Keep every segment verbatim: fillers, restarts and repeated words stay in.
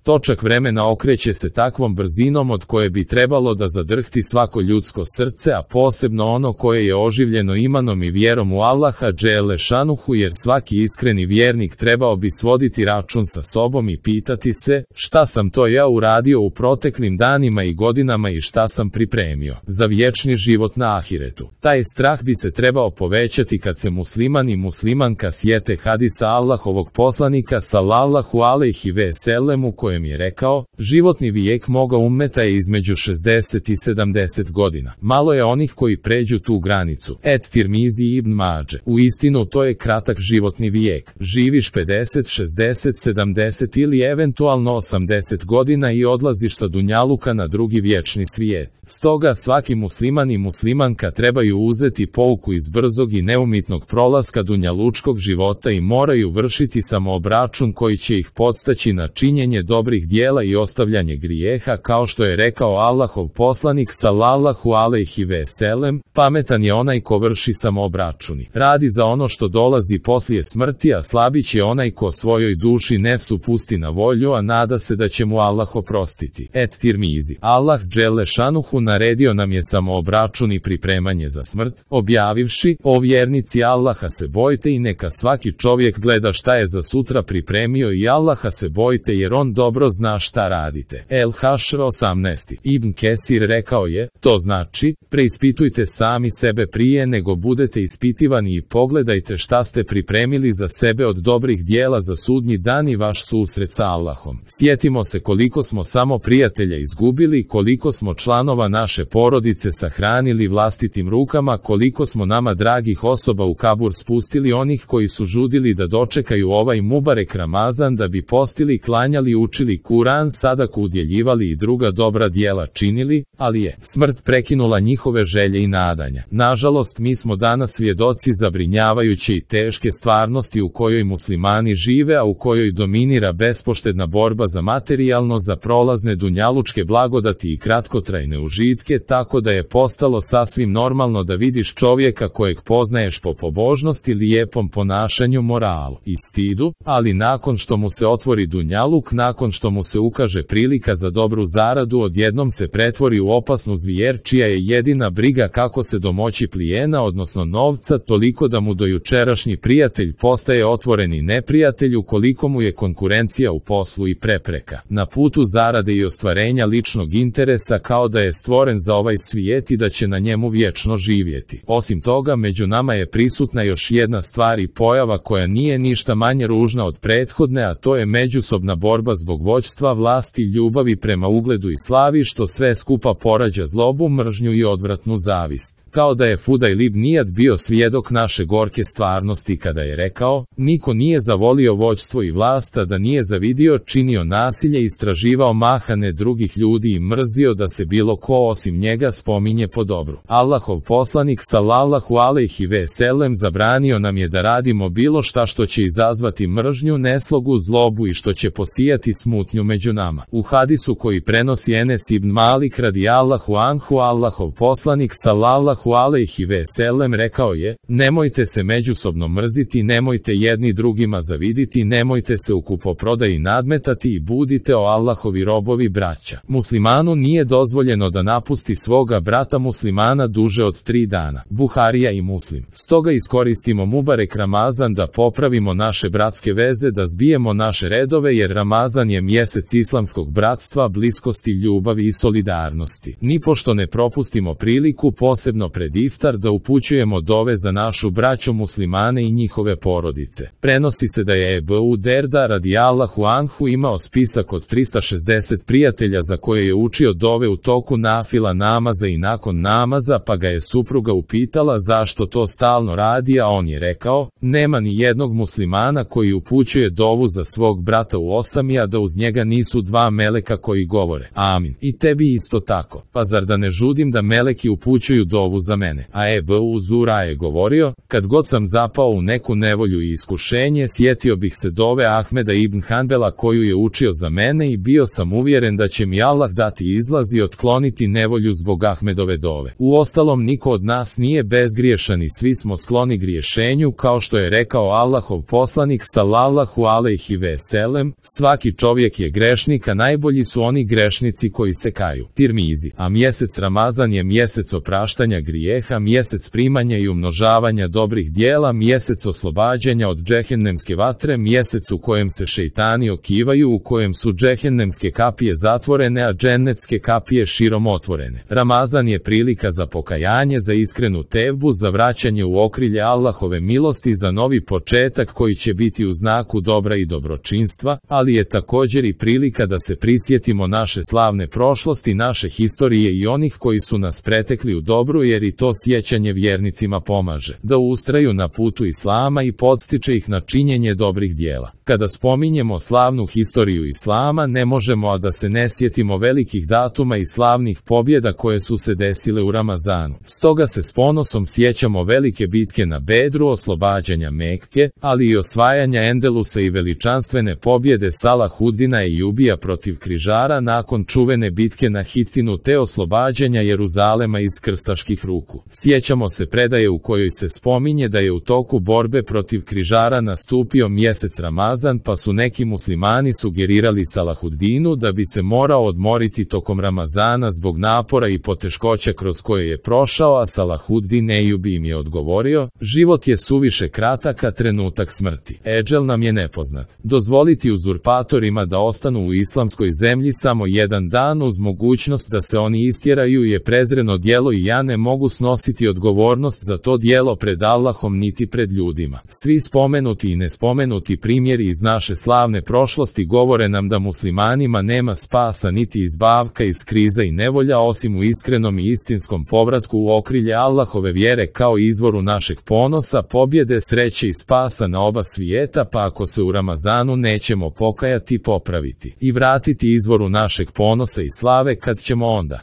Točak vremena okreće se takvom brzinom od koje bi trebalo da zadrhti svako ljudsko srce, a posebno ono koje je oživljeno imanom i vjerom u Allaha dželle šanuhu, jer svaki iskreni vjernik trebao bi svoditi račun sa sobom i pitati se, šta sam to ja uradio u proteklim danima i godinama i šta sam pripremio za vječni život na ahiretu. Taj strah bi se trebao povećati kad se musliman i muslimanka sjete hadisa Allahovog poslanika sallallahu alejhi ve sellem u kojem je rekao, životni vijek moga ummeta je između šezdeset i sedamdeset godina. Malo je onih koji pređu tu granicu. Et Tirmizi ibn Mađe. U istinu to je kratak životni vijek. Živiš pedeset, šezdeset, sedamdeset ili eventualno osamdeset godina i odlaziš sa dunjaluka na drugi vječni svijet. Stoga svaki musliman i muslimanka trebaju uzeti pouku iz brzog i neumitnog prolaska dunjalučkog života i moraju vršiti samoobračun koji će ih podstaći na činjenje dobrih dijela i ostavljanje grijeha, kao što je rekao Allahov poslanik sallallahu alejhi ve sellem, pametan je onaj ko vrši samoobračuni. Radi za ono što dolazi poslije smrti, a slabić je onaj ko svojoj duši nefsu pusti na volju, a nada se da će mu Allah oprostiti. Et Tirmizi. Allah dželle šanuhu naredio nam je samoobračun i pripremanje za smrt, objavivši, o vjernici Allaha se bojte i neka svaki čovjek gleda šta je za sutra pripremio i Allaha se bojte jer on dobro zna šta radite. El Hašr osamnaest. Ibn Kesir rekao je, to znači, preispitujte sami sebe prije nego budete ispitivani i pogledajte šta ste pripremili za sebe od dobrih dijela za sudnji dan i vaš susret sa Allahom. Sjetimo se koliko smo samo prijatelja izgubili, koliko smo članova naše porodice sahranili vlastitim rukama, koliko smo nama dragih osoba u kabur spustili, onih koji su žudili da dočekaju ovaj mubarek Ramazan da bi postili, klanjali, učili Kuran, sadaku udjeljivali i druga dobra dijela činili, ali je smrt prekinula njihove želje i nadanja. Nažalost, mi smo danas svjedoci zabrinjavajuće i teške stvarnosti u kojoj muslimani žive, a u kojoj dominira bespoštedna borba za materijalno, za prolazne dunjalučke blagodati i kratkotrajne užitke, tako da je postalo sasvim normalno da vidiš čovjeka kojeg poznaješ po pobožnosti, lijepom ponašanju, moralu i stidu, ali nakon što mu se otvori dunjaluk, nakon što mu se ukaže prilika za dobru zaradu, odjednom se pretvori u opasnu zvijer čija je jedina briga kako se domoći plijena, odnosno novca, toliko da mu dojučerašnji prijatelj postaje otvoreni neprijatelj ukoliko mu je konkurencija u poslu i prepreka na putu zarade i ostvarenja ličnog interesa, kao da je stvoren za ovaj svijet i da će na njemu vječno živjeti. Osim toga, među nama je prisutna još jedna stvar i pojava koja nije ništa manje ružna od prethodne, a to je međusobna borba zbog vođstva, vlasti, ljubavi prema ugledu i slavi, što sve skupa porađa zlobu, mržnju i odvratnu zavist. Kao da je Fudajl ibn Iyad bio svjedok naše gorke stvarnosti kada je rekao, niko nije zavolio vođstvo i vlast, a da nije zavidio, činio nasilje, istraživao mahane drugih ljudi i mrzio da se bilo ko osim njega spominje po dobru. Allahov poslanik sallallahu alejhi ve sellem zabranio nam je da radimo bilo šta što će izazvati mržnju, neslogu, zlobu i što će posijati smutnju među nama. U hadisu koji prenosi Enes ibn Malik radijallahu anhu, Allahov poslanik sallallahu alejhi ve sellem rekao je, nemojte se međusobno mrziti, nemojte jedni drugima zaviditi, nemojte se u kupoprodaji nadmetati i budite o Allahovi robovi braća. Muslimanu nije dozvoljeno da napusti svoga brata muslimana duže od tri dana. Buharija i Muslim. Stoga iskoristimo mubarek Ramazan da popravimo naše bratske veze, da zbijemo naše redove, jer Ramazan je mjesec islamskog bratstva, bliskosti, ljubavi i solidarnosti. Nipošto ne propustimo priliku, posebno pred iftar, da upućujemo dove za našu braću muslimane i njihove porodice. Prenosi se da je Ebu Derda radijallahu anhu imao spisak od trista šezdeset prijatelja za koje je učio dove u toku nafila namaza i nakon namaza, pa ga je supruga upitala zašto to stalno radi, a on je rekao, nema ni jednog muslimana koji upućuje dovu za svog brata u osami, a da uz njega nisu dva meleka koji govore, amin, i tebi isto tako, pa zar da ne žudim da meleki upućuju dovu za mene. A Ebu Zura je govorio, kad god sam zapao u neku nevolju i iskušenje, sjetio bih se dove Ahmeda ibn Hanbela koju je učio za mene i bio sam uvjeren da će mi Allah dati izlaz i otkloniti nevolju zbog Ahmedove dove. Uostalom, niko od nas nije bezgriješan i svi smo skloni griješenju, kao što je rekao Allahov poslanik sallallahu alejhi ve sellem, svaki čovjek čovjek je grešnik, a najbolji su oni grešnici koji se kaju. Tirmizi. A mjesec Ramazan je mjesec opraštanja grijeha, mjesec primanja i umnožavanja dobrih dijela, mjesec oslobađanja od džehennemske vatre, mjesec u kojem se šejtani okivaju, u kojem su džehennemske kapije zatvorene, a džennetske kapije širom otvorene. Ramazan je prilika za pokajanje, za iskrenu tevbu, za vraćanje u okrilje Allahove milosti, za novi početak koji će biti u znaku dobra i dobročinstva, ali je također i prilika da se prisjetimo naše slavne prošlosti, naše historije i onih koji su nas pretekli u dobru, jer i to sjećanje vjernicima pomaže da ustraju na putu Islama i podstiče ih na činjenje dobrih dijela. Kada spominjemo slavnu historiju Islama, ne možemo a da se ne sjetimo velikih datuma i slavnih pobjeda koje su se desile u Ramazanu. Stoga se s ponosom sjećamo velike bitke na Bedru, oslobađanja Mekke, ali i osvajanja Endelusa i veličanstvene pobjede Salahuddina Ejubija protiv križara nakon čuvene bitke na Hitinu te oslobađanja Jeruzalema iz krstaških ruku. Sjećamo se predaje u kojoj se spominje da je u toku borbe protiv križara nastupio mjesec Ramazan, pa su neki muslimani sugerirali Salahuddinu da bi se morao odmoriti tokom Ramazana zbog napora i poteškoća kroz koje je prošao, a Salahuddin Ejubi im je odgovorio: život je suviše kratak, a trenutak smrti. Edžel nam je nepoznat. Dozvoliti uzurpatorima da ostanu u islamskoj zemlji samo jedan dan uz mogućnost da se oni istjeraju je prezreno djelo i ja ne mogu snositi odgovornost za to djelo pred Allahom niti pred ljudima. Svi spomenuti i nespomenuti primjeri iz naše slavne prošlosti govore nam da muslimanima nema spasa niti izbavka iz kriza i nevolja osim u iskrenom i istinskom povratku u okrilje Allahove vjere kao izvoru našeg ponosa, pobjede, sreće i spasa na oba svijeta, pa ako se u Ramazanu nećemo pokajati, popraviti i vratiti izvoru našeg ponosa i slave, kad ćemo onda?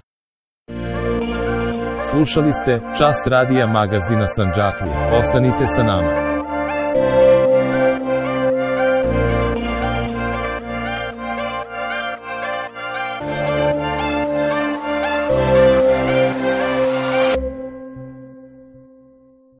Slušali ste Čas radija magazina Sandžaklija. Ostanite sa nama.